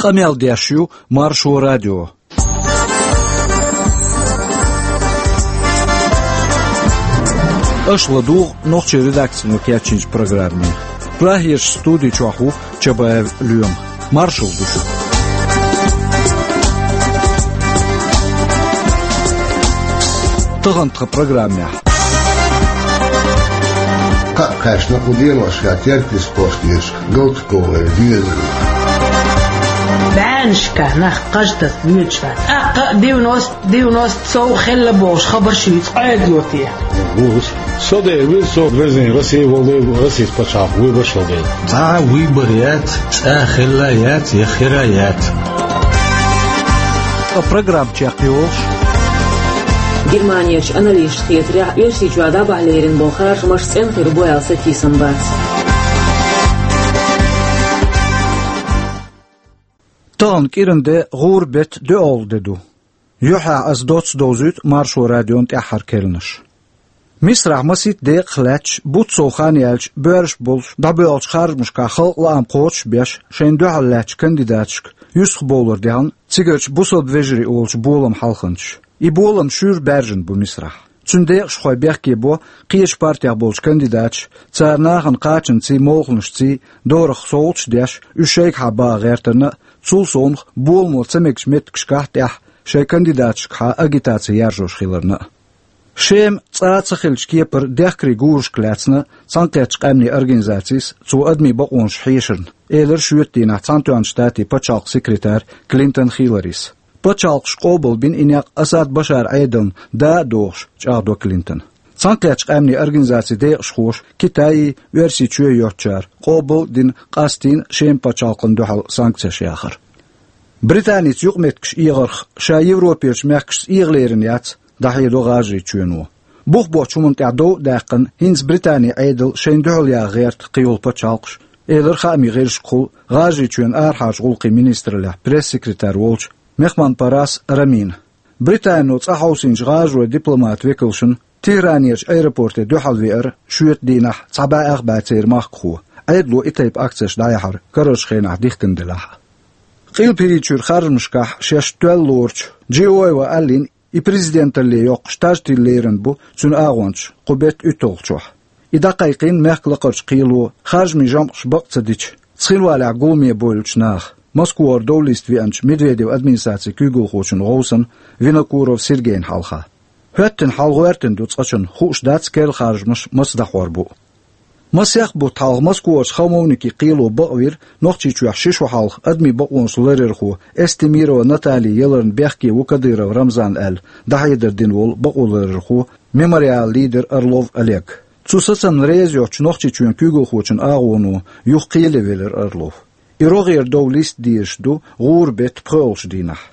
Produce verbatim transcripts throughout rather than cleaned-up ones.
Къамел деш ю Маршо радио. Аша ладугӀу нохчийн редакцино кечйинчу программе. Прагерчу студи чохь ву Чабаев Лоьма. Маршалла ду шуьга. Тахана тхан программехь. Кхаъ кхаьчна кху деношкахь Теркйистан кӀоштарчу Галтуковой доьзале. БӀеннашкахь нах кхаж таса воьдуш вац. ТӀаккха девяносто, девяносто сов хилла бохуш хабар шуьца Ӏедало те? Ву. Со дера вира со, везний Россия волу дела, Российс пачхьалкх вуьйбарш волу дела. Цхьа а вуьйбар яц, цкъа а хилла яц, я хира яц. Ткъа программа чекхйолуш. Германерчу аналисташна хетарехь, Оьрсийчохь дӀабахьа лерина болу харжамаш цӀена хир бу аьлла сатийсам бац. Тахана кӀиран де, гӀуран беттан доьалгӀа де ду. Юьххьехь аса доцца довзуьйту Маршо радион тӀаьххьара керланаш. Мисрахь масийтта декъах лаьтташ, бутт сов хан яьлча, боьрша болуш дӀабоьлхучу харжамашкахь халкъан лаам кхочушбеш, шайна дуьхьал лаьттачу кандидаташка юьстахбовлар дехна цигарчу «Бусалба вежарий» олучу боламан хьалханчаш. И болам шуьйра баьржина бу Мисрахь. Цуьнан декъашхой бехке бо кхечу партех болчу кандидаташа, цара нахана кхачанций, молханашций дорах совгӀаташ деш, уьш шайгахьа баха гӀертарна а, цул совнаха боламо ца мегачу меттигашкахь а тӀехь шайн кандидаташкахьа агитаци яржош хиларна а. Шема цкъа а ца хиллачу кепара дехкарийн гурашка лаьцна Цхьаьнакхеттачу Къаьмнийн Организацис цо адамийн бакъонаш хьешарна, элира шоьтан дийнахь Цхьаьнатоьхначу Штатийн пачхьалкхан секретарь Клинтон Хилларис. Пачхьалкхаша къобалбина и некъ Асад Башаран Ӏедална да а дохуш, чӀагӀдо Клинтона. Цхьаьнакхеттачу Къаьмнийн Организацин декъашхоша, Китайи Оьрсийчоьи йоцучара, къобал а дина, къастийна Шеман пачхьалкхана дуьхьал санкцеш яхар. Британица юкъаметтигаш эгӀарх ша Европерчу мехкашца эгӀа лерина яц, дӀахьедо ГӀажарийчоьно. Бух боцчу хӀуманна тӀехь дов а даьккхина, хӀинца Британин Ӏедал шайна дуьхьал яха гӀерта кхийолу пачхьалкхаш, элира хаамийн гӀирсашкахула ГӀажарийчоьнан арахьарчу гӀуллакхийн министраллехь пресс-секретарь волчу Мехманпарас Рамина. Британо цӀа хьовсийначу гӀажарийн дипломатан векалшна Тегеранерчу аэропорте дуьхьал веара шоьтан дийнахь цхьа бӀе ах бӀе церан махкахо, Ӏедало и тайпа акцеш дӀаяхьар карарчу хенахь дихкина делахь а. Къилба ХӀирийчуьра харжамашкахь шаьш тоьлла лоручу Джиоева Аллин и президенталле йоккхуш таж тилла лерина бу цуьнан агӀончаш кху беттан уьтталгӀачохь. И дӀакхайкхийна мехкан лакхарчу кхело, харжамийн жамӀаш бакъ ца дича, цхинвалехь гуламе бовлучу наха, Москвара довлиста веанчу Медведевн администрацин куьйгалхочун гӀовсан Винокуров Сергейн хьалха. ХӀоьттина хьал гӀоьртина ду цкъачунна, хууш дац керла харжамаш маса дӀахьор бу. Масех бутт хьалха Москварчу хамовникийн кхело бакъвира Нохчийчохь ши шо хьалха адамийн бакъонаш ларъярхо Эстемирова Натали яларна бехке ву Кадыров Рамзан аьлла дӀахьедар дина волу бакъоларъярхо, Мемориалан лидер Орлов Олег. Цу сацамна реза йоцучу Нохчийчоьнан куьйгалхочун агӀоно юха кхеле велира Орлов. И рогӀера довлиста дезаш ду гӀуран беттан пхоьалгӀачу дийнахь.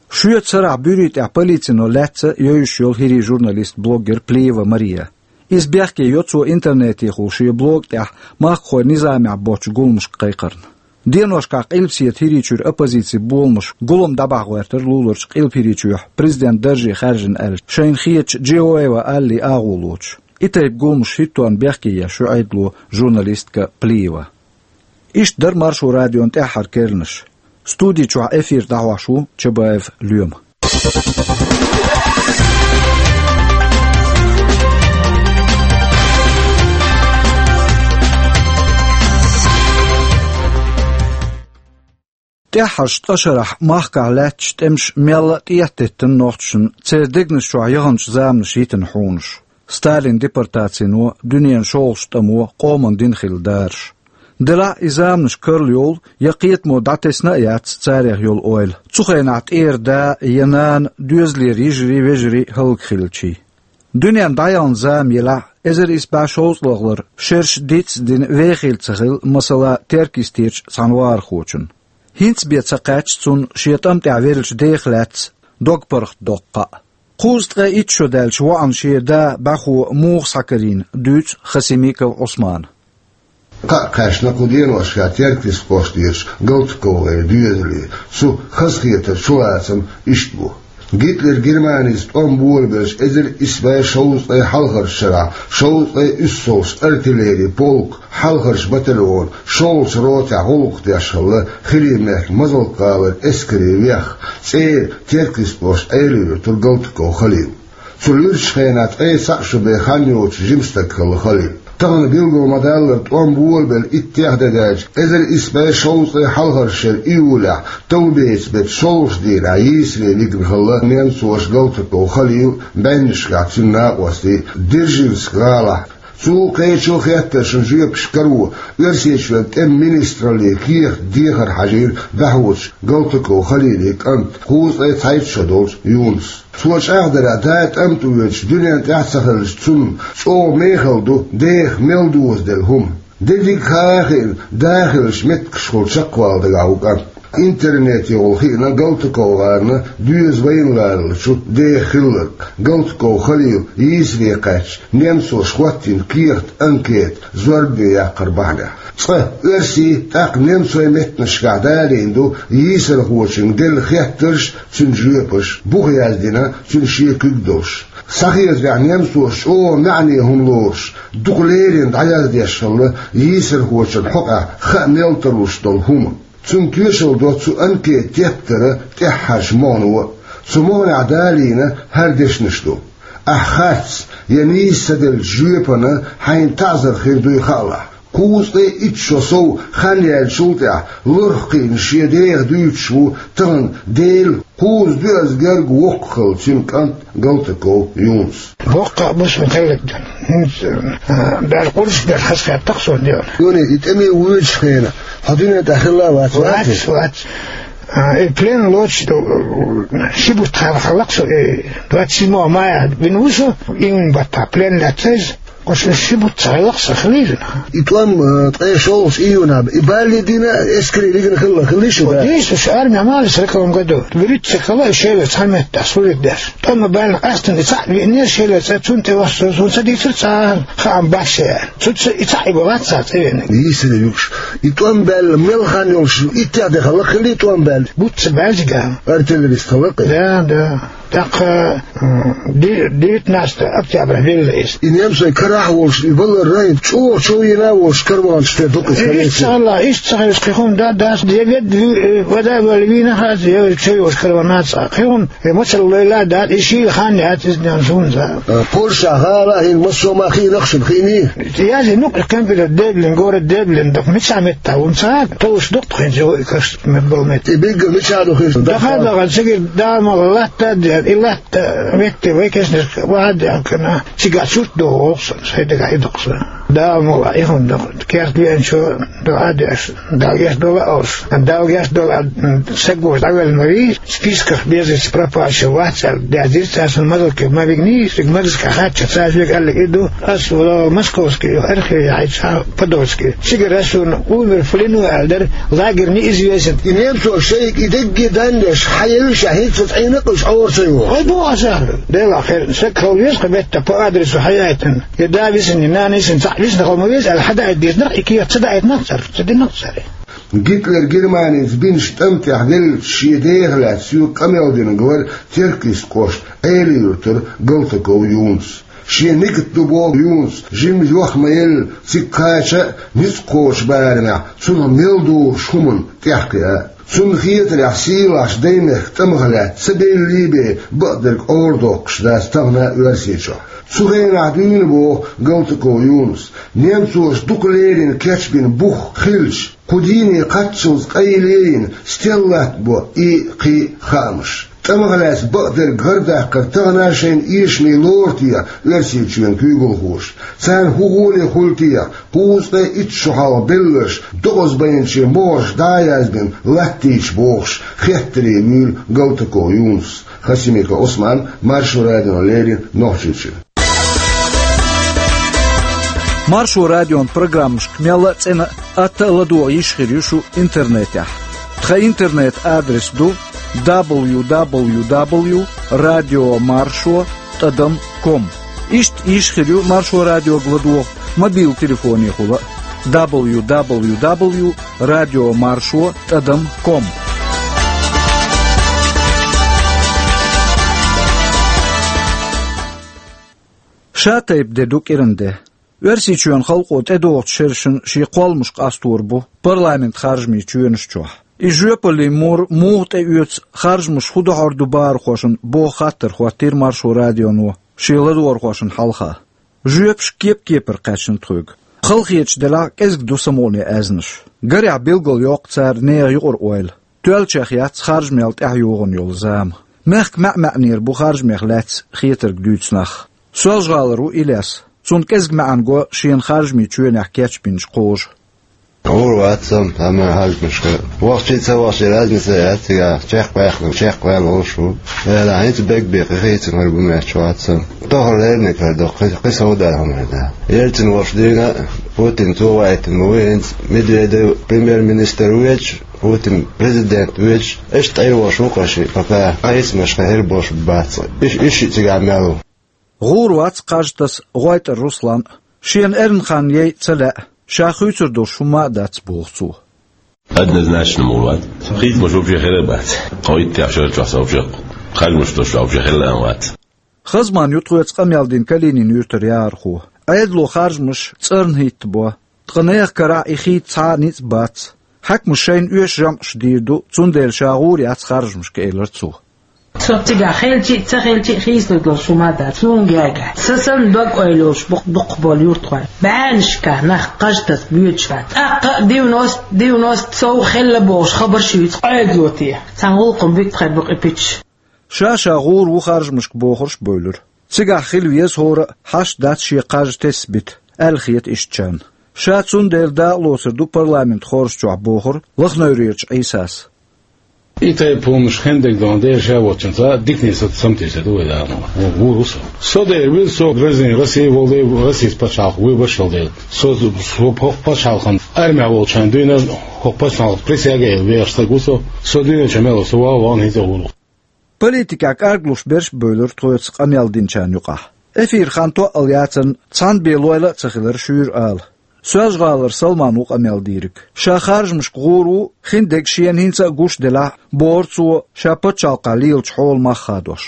Шоьтан сарахь буьрий тӀехь полицино лаьцна йовзуш йолу хӀирийн журналист-блогер Плиева Мария. Иза бехке йо цо интернетехула шен блог тӀехь махкахой низамехь боцчу гуламашка кхайкхарна. Деношкахь Къилбаседа ХӀирийчуьра оппозицин боламаш гулам дӀабахьа гӀоьртира луларчу Къилба ХӀирийчохь президентан дарже хаьржина аьлла шайна хетачу Джиоева Аллин агӀо лоцуш. И тайпа гуламаш хӀиттонна бехке еш ю Ӏедало журналистка Плиева. Иштта дара Маршо радион тӀаьххьара керланаш. Студи чохь эфир дӀахьош ву Чабаев Лоьма. ТӀаьххьарчу ткъа шарахь махкахь лаьтташ тӀемаш мелла а тӀехтеттина нохчашна церан дегнаш чохь яханчу заманаш йитина хьунаш. Сталинан депортацино, дуьненан шолгӀачу тӀамо, къоман дина хилла дараш. Делахь а и заманаш карла йолу я кхетамо дӀатесна а яц царех йолу ойла. Цу хенахь тӀера да я нана, доьзалера йижарий, вежарий хӀаллакьхилчий. Дуьненна дӀаяхана зама елахь а, эзар исс бӀе шовзткъалгӀалара шераш дицдина вехийла ца хилла, масала, Теркйистерчу цхьана вахархочунна. ХӀинца бен ца кхаьчна цунна шен тӀам тӀехь веллачу дех лаьцна дог-паргӀат доккху кхаъ. Кхузткъе итт шо даьлча воӀана шен да бӀаьхо муха схьакарийна, дуьйцу Хасимиков Ӏусмана. Кхаъ кхаьчна кху деношкахь Теркйистан кӀоштарчу Галтуковой доьзале. Цу хазахетаран чулацам иштта бу. Гитлер Германис тӀом болабелча эзар исс бӀе шовзткъе хьалхарча шарахь шовзткъе уьссалгӀача артиллери полк хьалхарча батальона шолгӀача ротехь гӀуллакх деш хилла Хирий-Мехкан Мазалк-гӀалара эскаре веха, цӀера Теркйист кӀоштан Ӏела-Юьртара Галтаков Халил. Цу луьрачу хенахь ткъе цхьаъ шо бен хан йоцуш жима стаг хилла Халил. Тахана билгал ма-даллара, тӀом болабелла иттех де даьлча, эзар исс бӀе шовзткъе хьалхарчу шеран июлехь, товбеца беттан шолгӀачу дийнахь йийсаре вигна хилла немцоша Галтаков Халил, бӀеннашкахь цуьнан накъостий Дзержинск-гӀалахь. Цул кхечу хеттаршна жоьпаш каро, Оьрсийчоьнан тӀеман министраллин кехат дехар хьажийра дӀахьочу Галтаков Халилан кӀанта, кхузткъе цхьайтта шо долчу Юнуса. Цо чӀагӀдарехь, да тӀамтӀа воьдуш дуьнен тӀехь а ца хиллачу цунна, чӀогӀа мехала ду деха мел дозаделла хӀума. Де дика хаа а хиъна, да хиллачу меттигашкахула чекхвала дагахь ву кӀант. Интернетехула хиъна Галтаковгара доьза вайна ларалучу деха хилларг, Галтаков Халил йийсаре кхаьчча, немцоша хӀоттийна кехат, анкета, зорбане яккхар бахьанехь. Цкъа оьрсийн, тӀаккха немцойн меттанашкахь далийна ду йийсархочуьнга делла хеттарш, цуьнан жоьпаш, бух яздина цуьнан шен куьг долуш. Схьахетарехь, немцоша чӀогӀа маьӀне хӀума лоруш, дукха леррина дӀаяздеш хилла йийсархочун хьокъехь хаа мел тарлуш долу хӀума. Цунна тоьшалла до цу анкетан тептара тӀаьххьарчу могӀано а. Цу могӀанехь далийна хӀара дешнаш ду: «Ахь харц я нийса ца деллачу жоьпана хьайна таӀзар хир дуй хаалахь». Кхузткъе итт шо сов хан яьллачул тӀаьхьа лорах кхиъна шен деха дуьйцуш ву тахана Дела кхузткъе доьазза герга воккха хилла цуьнан кӀант Галтаков Юнус. Боккха а бу сан хилларг. ХӀинца, а, баьрла кхузткъа бер хазахетта-кх суна дела. Юни, и тӀаме воьдучу хенахь хьо дуьнен тӀехь хилла а вац, вац? Вац, вац. А, и плен лоцуш ду, ши бутт хьалха хилла-кх со, и двадцать седьмого мая вина ву со, июнь баттахь плен лаьцна иза. Оцу ши бутт ца хилла-кх сан хилийла. И тӀом, э, ткъе шолгӀачу июнехь, и бала дина эскаре вигна хилла, хилла шу, да? Дийца, уьш армехь ма ваьлла сороковом году. ВуьрхӀитта ца хилла, и Шелаца цхьана меттехь служить деш. ТӀом а баьлла, къаьстина и цхьаъ веана, Шелаца, цунна тӀе вассо, суна ца дийцира цхьа а хаам бац шен аьлла. Цуьнца и цхьаъ а бан вац цхьа цӀа веанарг. Йийсаре вуьгуш. И тӀом баьлла мел хан йолуш, иттех де хилла, хилла и тӀом баьлла? Бутт ца баьлла цигахь. Артиллерист хилла-кх и? Да, да. ТӀаккха, м, ди-, девятнадцатого октября велла иза. И немцойн карахь а волуш, и валар райна чӀогӀа чов йина а волуш, караванаш тӀе дукха иза. Иштта ца хилла, иштта ца хилча, кхин хӀума да, дац, я ведда, э, вода вала вийна хаза, я чов йолуш караван а ца. Кхин хӀума, э, мацалла лойла а дац, и шийла хан яц иза, нан суна за. А, Польша гӀала а хӀинца массо а ма хиъна-кх шуна, хиъний? Язйина-кх компьютер Деблин, город Деблин, дукха мичахь меттахь ву ца, товш дукха хӀинца йо и каш. Мел болу метта. И биггал мичахь ду хир? Даха а даха, цигара Дала мукъ лахь, латта а деана, и латта метте вай кешнашка ваха а деана, цигахь сурт догӀу воху сан, сайн дагахь и доккху сан. Дала мукъ лахь, и хӀума доккху. Керта веанчо дуӀа а деш, Дала гечдолу а олуш. Дала гечдолу а, м, сагоша дӀавелла ма вий, списках без вести пропавших вац аьлла, даьздира цара, сан Мазалке ма вигний, цига Мазалке хаьттича, цара соьга аьлларг и ду, ас вала Московский архив яхьийча, Подольский. Цигара суна умер в плену аьлла дара, лагерь неизвестен. И немцо шайга и дегге даннеш, хьан елла ша хӀинца цӀийнакъ уьш Ӏора ца йогӀу. Вай боху аса аьлла. Делахь хир, саг хила веза кху метта по адресу хьаяйтина. Я да висина, я нана висина, цхьаъ висина хила ма веза аьлла, хьадаийта деза нах, и кехат ца даийтина-кх цара, ца дина-кх цара. Гитлер Германица бинчу тӀам тӀехь веллачу шен деха лаьцна соьга къамел динарг вара Теркйист кӀоштан Ӏела-Юьртара Галтаков Юнус. Шен нигат ду боху Юнуса, жимма йох ма елла, цига кхача а, ницкъ кхочу барамехь цунах мел догӀучу хӀуманна тӀехь кхиа а. Цунна хетарехь, сийлахьчу Даймехкан тӀамах лаьцна ца беллий бен бакъдерг Ӏорадоккхуш дац тахана а Оьрсийчохь. Цу хенахь дуьйна боху Галтаков Юнус, немцоша дукха леррина кечбина бух хилча, кху дийне кхаччалц къайле йина, стелла латтабо и, кхин а хаамаш. ТӀамах лаьцна бакъдерг гӀардаккхар тахана а шайна эшаме лору те Оьрсийчоьнан куьйгалхоша? Царна хӀун гӀоле хуьлу те кхузткъе итт шо хьалха белларш докъазбайначийн могӀарш дӀа а яздина латтийча бохуш, хеттаре вуьйлу Галтаков Юнус. Хасимиков Ӏусман, Маршо радиона леррина, Нохчийчоь. Маршо радион программашка мелла а цӀена а, атта а ладогӀа йиш хир ю шу интернетехь. Тхан интернет-адрес ду дабл ю дабл ю дабл ю радио маршо тӀадам ком. Иштта йиш хир ю Маршо радиога ладогӀа мобил телефонехула а: дабл ю дабл ю дабл ю радио маршо тӀадам ком. Ша тайпа де ду кӀиран де. Оьрсийчоьнан халкъо тӀедогӀучу шерашна шен кхолламаш къастор бу парламентан харжамийн чоьнаш чохь. И жоьпаллин мур муха тӀеоьцу харжамаш хӀун дохьур ду бахархошна боху хаттар хӀоттийра Маршо радионо шен ладогӀархошна хьалха. Жоьпаш кеп-кепара кхаьчна тхоьга. Халахеташ делахь а кӀезиг ду самукъане аьзнаш. Гарехь билгалйоккху цара нехан юкъара ойла. Тоьллачех яц харжамел тӀаьхьа йогӀун йолу зама. Мехкан маьӀ-маьӀнера бу харжамех лаьцна хетарг дуьйцу нах. Соьлжа-ГӀалара ву Илес. Цунна кӀезиг маьӀна го шена харжамийн чоьнехь кечбинчу кхожа. ГӀур вац со, амма харжамашка вахчий а, ца вахчий а разница яц, цига чекхваьхна, чекхваьлла волуш ву. Эла, хӀинца бегбе кхин хийцамара бу моьттуш вац со. Тохара лерниг хир ду, кхин, кхин сов дар хӀума хир дац. Ельцин волуш дийна, Путин цо вайтина ма ву, хӀинца Медведев премьер-министр ву веч, Путин президент ву веч, иштта Ӏийр волуш ву кхин шиъ, пока хьайсамаш кхин хир болуш бац. Иш, иш шиъ цигахь мел ву. ГӀур вац Кхажатас ГӀойтӀар Руслан. Шена эрна хан яй ца лаьа, ша хуьйцур долуш хӀума а дац, боху цо. Однозначно мур вац. Хийцамаш вообще хир а бац. Кхо иттех шарчохь со вообще харжамаш долуш вообще хир а вац. Хазман ю тхоьца къамел дина Калинин юьртара яхархо. Ӏедало харжамаш цӀарна хӀиттабо, ткъа нехан карахь и хийца цхьа а ницкъ бац. Хьаькамаша шайна оьшу жамӀаш дийр ду, цундела ша гӀур яц харжамашка, элира цо. Со цигахь хилча а, ца хилча а хийцалур долуш хӀума а дац, суна гайга. Сан санна дог-ойла йолуш бу дукхахболу юьртахой. БӀеннашкахь нах Кхажатас боьдуш бац. ТӀаккха а девяносто, девяносто сов хилла бохуш хабарш юьйцу Ӏедало. Цхьана гӀуллакхана буьттахъяр бу кхин пичаш. Ша-ша гӀур ву харжамашка бохурш а бевлира. Цигахь хила веза хӀора а, хьашт дац шен кхаж тесна бита, аьлла хета ишттачарна. Ша цундела дакъалоцур ду парламентан хорша чохь, бохура Лахневрерчу Ӏийсас. И тайпа хӀуманаш хиндерг дона дера ша воцчунца дикане са самтийса ду вай дама. Ву, ву, ву со. Со дера вира со гражданин России волу дела, Россис пачхьалкх вуй башхал дела. Со, со хӀокху пачхьалкхан армехь волчарна дуьйна хӀокху пачхьалкх присяга а елла вехаш стаг ву со. Со дуьйначу мел со ван ван хӀинца а ву. Политикехь кӀарглуш берш а бевлира тхоьца къамел динчарна юкъахь. Эфир хан тоъал яцарна, цхьана бен лойла а ца хилира шуьйра ала. Соьлжа-ГӀалара Салман ву къамел дийриг. Ша харжамашка гӀур ву, хиндерг шена хӀинца а гуш делахь а, бохура цо, ша пачхьалкхехь лелачу хьолан мах хадош.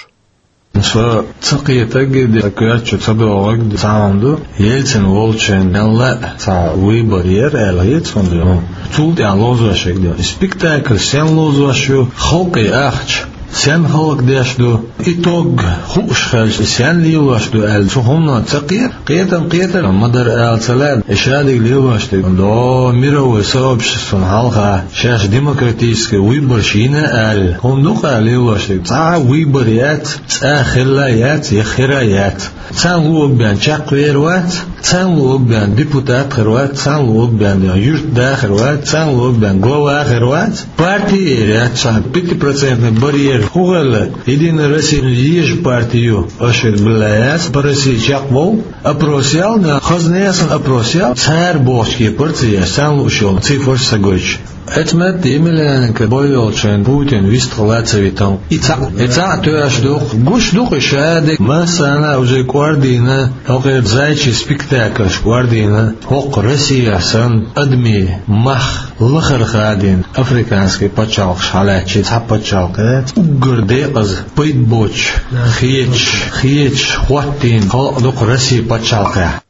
Со ца кхетарг а, сан коьрта чу ца догӀург а цхьа хӀума ду, Ельцин волчу шайна мелла а цхьа выбор яра аьлла хета суна. Цул тӀаьхьа ловзош ерг ду. И спектакль стенна ловзош ю, халкъе ахча стенна хӀаллакдеш ду, итог хууш хилча, стенна лелош ду аьлла, цу хӀумано ца кхета. Кхетам кхетар ма дара ала ца лаьа, и шадерг лелош дерг до мировой сообществона хьалха шаьш демократический выборш йина аьлла, хӀума ду-кх лелош дерг. Цхьа а выбор яц, цкъа а хилла яц, я хира яц. Царна луург бен чекхвер вац, царна луург бен депутат хир вац, царна луург бен юьртда хир вац, царна луург бен глава хир вац. Парти а яц, цхьа пятипроцентный барьер хӀун хилла, Единая Россия еза парти ю, аша билла яц, по России чекхбовла. Опрос ял, хаза несан опрос ял, цара бохучу кепара ца еш, царна лууш йолу цифраш ца гойтуш. Эцмет Емельяненко бой йолчу шайна Путин вистхила ца витал. И цхьаъ, и цхьаъ тоьаш ду-кх. Гуш ду-кх и шадерг, массарна а уже кӀордийна, хӀокхеран зайчий спектакльш кӀордийна, хӀокху Россехь санна адамийн мах лахара хадийна, африканский пачхьалкхаш хьалаьцча, цхьа пачхьалкх яц, уггар декъаза, пайда боцуш, хеташ, хеташ, хӀоттийна халкъ ду-кх Росси пачхьалкхехь.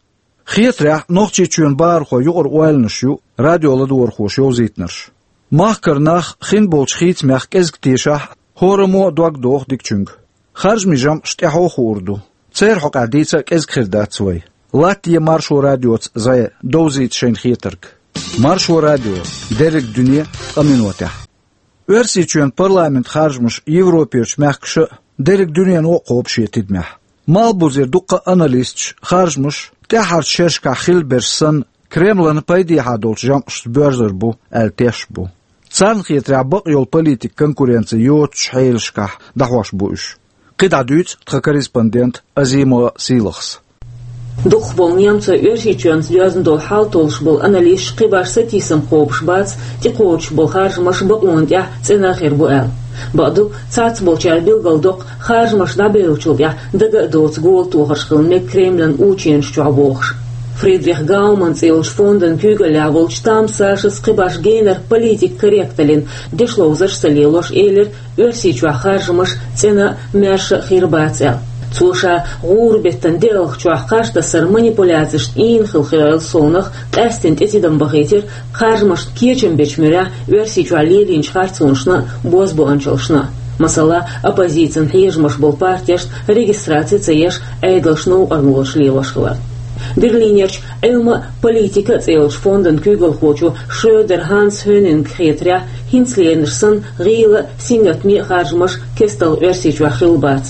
Хетарехь, Нохчийчоьнан бахархойн юкъара ойланаш ю радио ладогӀархоша йовзийтинарш. Махкара нах хин болчу хийцамех кӀезиг тешахь а, хӀораммо а дог доху дикачуьнга. Харжамийн жамӀаш тӀаьхьо хуур ду. Церан хьокъехь дийца а кӀезиг хир дац вай. Латте Маршо радиоца зӀе, довзийта шайна хетарг. Маршо радио. Дерриг дуьне ткъа минотехь. Оьрсийчоьнан парламентан харжамаш Европерчу мехкаша а, дерриг дуьнено а кхобу шен тидамехь. Малхбузера дуккха а аналисташ харжамаш тӀаьххьарчу шерашкахь хилла берш санна, Кремлана пайдехьа долчу жамӀашца боьрзур бу аьлла тешаш бу. Царна хетарехь, бакъйолу политикан конкуренци йоцучу хьелашкахь дӀахьош бу уьш. КхидӀа дуьйцу тхан корреспондент Азимова Сийлахьас. Дукхахболу немцойн Оьрсийчоьнца доьзна долу хьал толлуш болу аналисташ кхин башха сатийсам кхобуш бац, тӀекхочуш болу харжамаш бакъонан тӀехь цӀена хир бу аьлла. Бакъду, цхьаццаболчара билгалдоккху, харжамаш дӀабевллачул тӀаьхьа дага а доцу гола тохарш хила мега Кремлан ученаш чохь бохуш. Фридрих Гауман цӀе йолчу фондан куьйгаллехь волчу Там Сашас кхин башха генара политикан корректаллин дешловзарш ца лелош элира, Оьрсийчохь харжамаш цӀена а, маьрша а хир бац аьлла. Цо ша гӀуран беттан диалгӀачохь кхаж тассар манипуляцешна ийна хилла хьоьхуш совнах къаьсттина тӀетидам бахийтира харжамашна кечам бечу муьрехь Оьрсийчохь лелийначу харцонашна а, бозбуунчаллашна а. Масала, оппозицин хьежамаш болу партешна регистраци ца еш, Ӏедалш новкъарлоцуш лелош хилар. Берлинерчу Ӏилма а, политика а цӀе йолчу фондан куьйгалхочо Шрёдер Ханс Хьоьнинга хетарехь, хӀинца леринарш санна гӀийла а, сингаттаме а харжамаш кестта Оьрсийчохь хилла бац.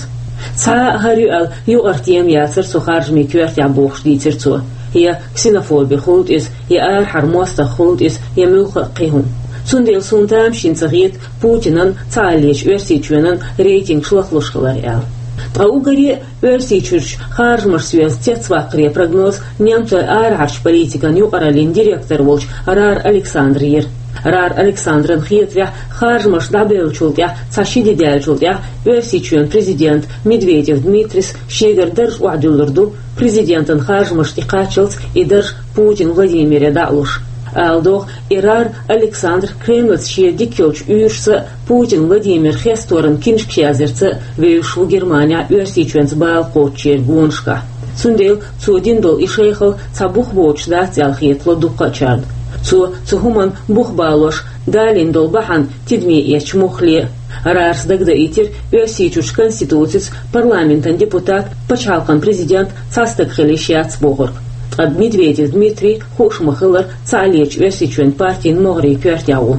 Цхьа а хӀара ю аьлла юкъара тема яцара цу харжамийн коьртехь, бохуш дийцира цо. Я ксенофоби хуьлда иза, я арахьара мостагӀ хуьлда иза, я муьлхха а кхин хӀума. Цундела суна тамашийна ца хета Путинан, цхьааллачу Оьрсийчоьнан рейтингаш лахлуш хилар аьлла. Ткъа уггаре а Оьрсийчуьрчу харжамашца йоьзна цецваккхаре прогноз немцойн арахьарчу политикан юкъараллин директор волчу Рар Александра йира. Рар Александран хетарехь, харжамаш дӀабевллачул тӀаьхьа цхьа ши де даьллачул тӀаьхьа Оьрсийчоьнан президент Медведев Дмитрис шегара дарж охьадуьллур ду, президентан харжамаш тӀекхаччалц и дарж Путин Владимире дӀа а луш. Ала догӀу, и Рар Александр Кремлаца шен дика йолчу уьйрашца а, Путин Владимир хесторан киншкаш язъярца а вевзаш ву Германехь Оьрсийчоьнца бала кхочучеран гонашкахь. Цундела цо дина долу и шайхалла цхьа бух боцуш дац аьлла хетало дуккхачарна. Цо цу хӀуманна бух балош далийна долу бахьана тидаме эцча муххале а. Рарас дагадаийтира, Оьрсийчуьрчу конституцица парламентан депутат, пачхьалкхан президент цхьа стаг хила йиш яц бохург. Ткъа Медведев Дмитрий, хууш ма-хиллара, цхьааллачу Оьрсийчоьнан партин могӀарийн коьртехь ву.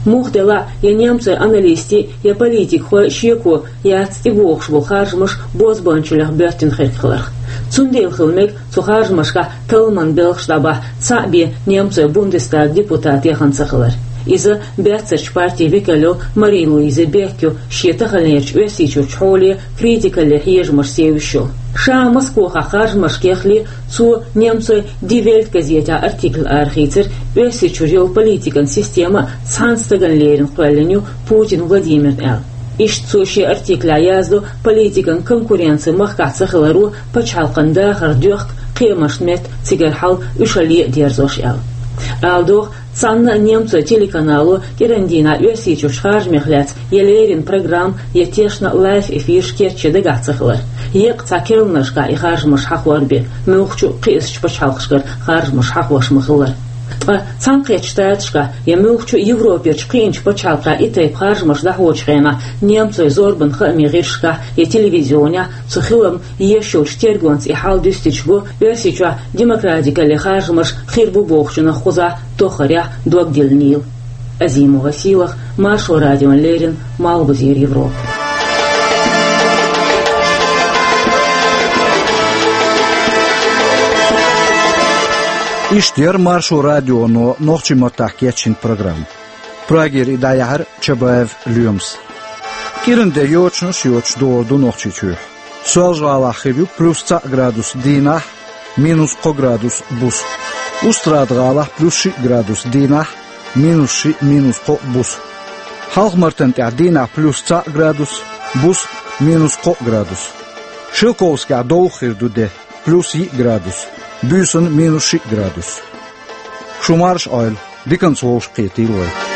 Муха делахь а, я немцойн аналистийн, я политикхойн шеко яц и бохуш болу харжамаш бозбуунчаллех боьттина хирг хиларх. Цундела хила мега цу харжамашкахь талламан белхаш дӀабахьа цхьаъ бен немцойн Бундестаган депутат яхана ца хилар. Иза баьццарчу партин векал йолу Мари-Луиза Бек ю, шен таханлерчу Оьрсийчуьрчу хьоле критикалле хьежамашца евзаш йолу. Ша Москвахь харжамашка яхале, цо немцойн Die Welt газетехь артикль арахийцира, Оьрсийчуьра йолу политикан система цхьана стагана лерина кхоьллина ю Путин Владимирна аьлла. Иштта цо шен артиклехь яздо политикан конкуренци махкахь ца хиларо пачхьалкхан дахар доьхку кхиамашна метта цигара хьал уьш а ле а дерзош аьлла. Ала догӀу, цхьанна а немцойн телеканало кӀиран дийнахь Оьрсийчуьрчу харжамех лаьцна я леррина программа, я тешна лайв эфирш кечъян дагахь ца хилар. Еккъа цхьа керланашкахь и харжамаш хьахор бен, муьлххачу а кхиъначу пачхьалкхашкара харжамаш хьахош ма-хиллара. Ткъа Цхьаьнакхеттачу Штаташкахь я муьлххачу а Европерчу кхиъначу пачхьалкхехь и тайпа харжамаш дӀахьочу хенахь немцойн зорбан хаамийн гӀирсашкахь я телевизионехь цу хиламна еш йолчу тергонца и хьал дуьстича го, Оьрсийчохь демократикалле харжамаш хир бу бохучунах кхузахь тоххарехь дог диллинийла. Азимова Сийлаха, Маршо радиона леррина, Малхбузера Европа. Иштта яра Маршо радионо нохчийн маттахь кечйина программа. Прагера и дӀаяьхьира Чабаев Лоьмас. КӀиран де йочанаш йоцуш догӀур ду Нохчийчохь. Соьлжа-ГӀалахь хир ю плюс цхьаъ градус дийнахь, минус кхо градус буса. Устрада-ГӀалахь плюс шиъ градус дийнахь, минус шиъ, минус кхо буса. Хьалха-Мартан тӀехь дийнахь плюс цхьаъ градус, буса минус кхо градус. Шелковскехь довха хир ду де, плюс йиъ градус, буьйсанна минус шиъ градус. Шу марша Ӏойла, диканца вовшахкхетийла вай.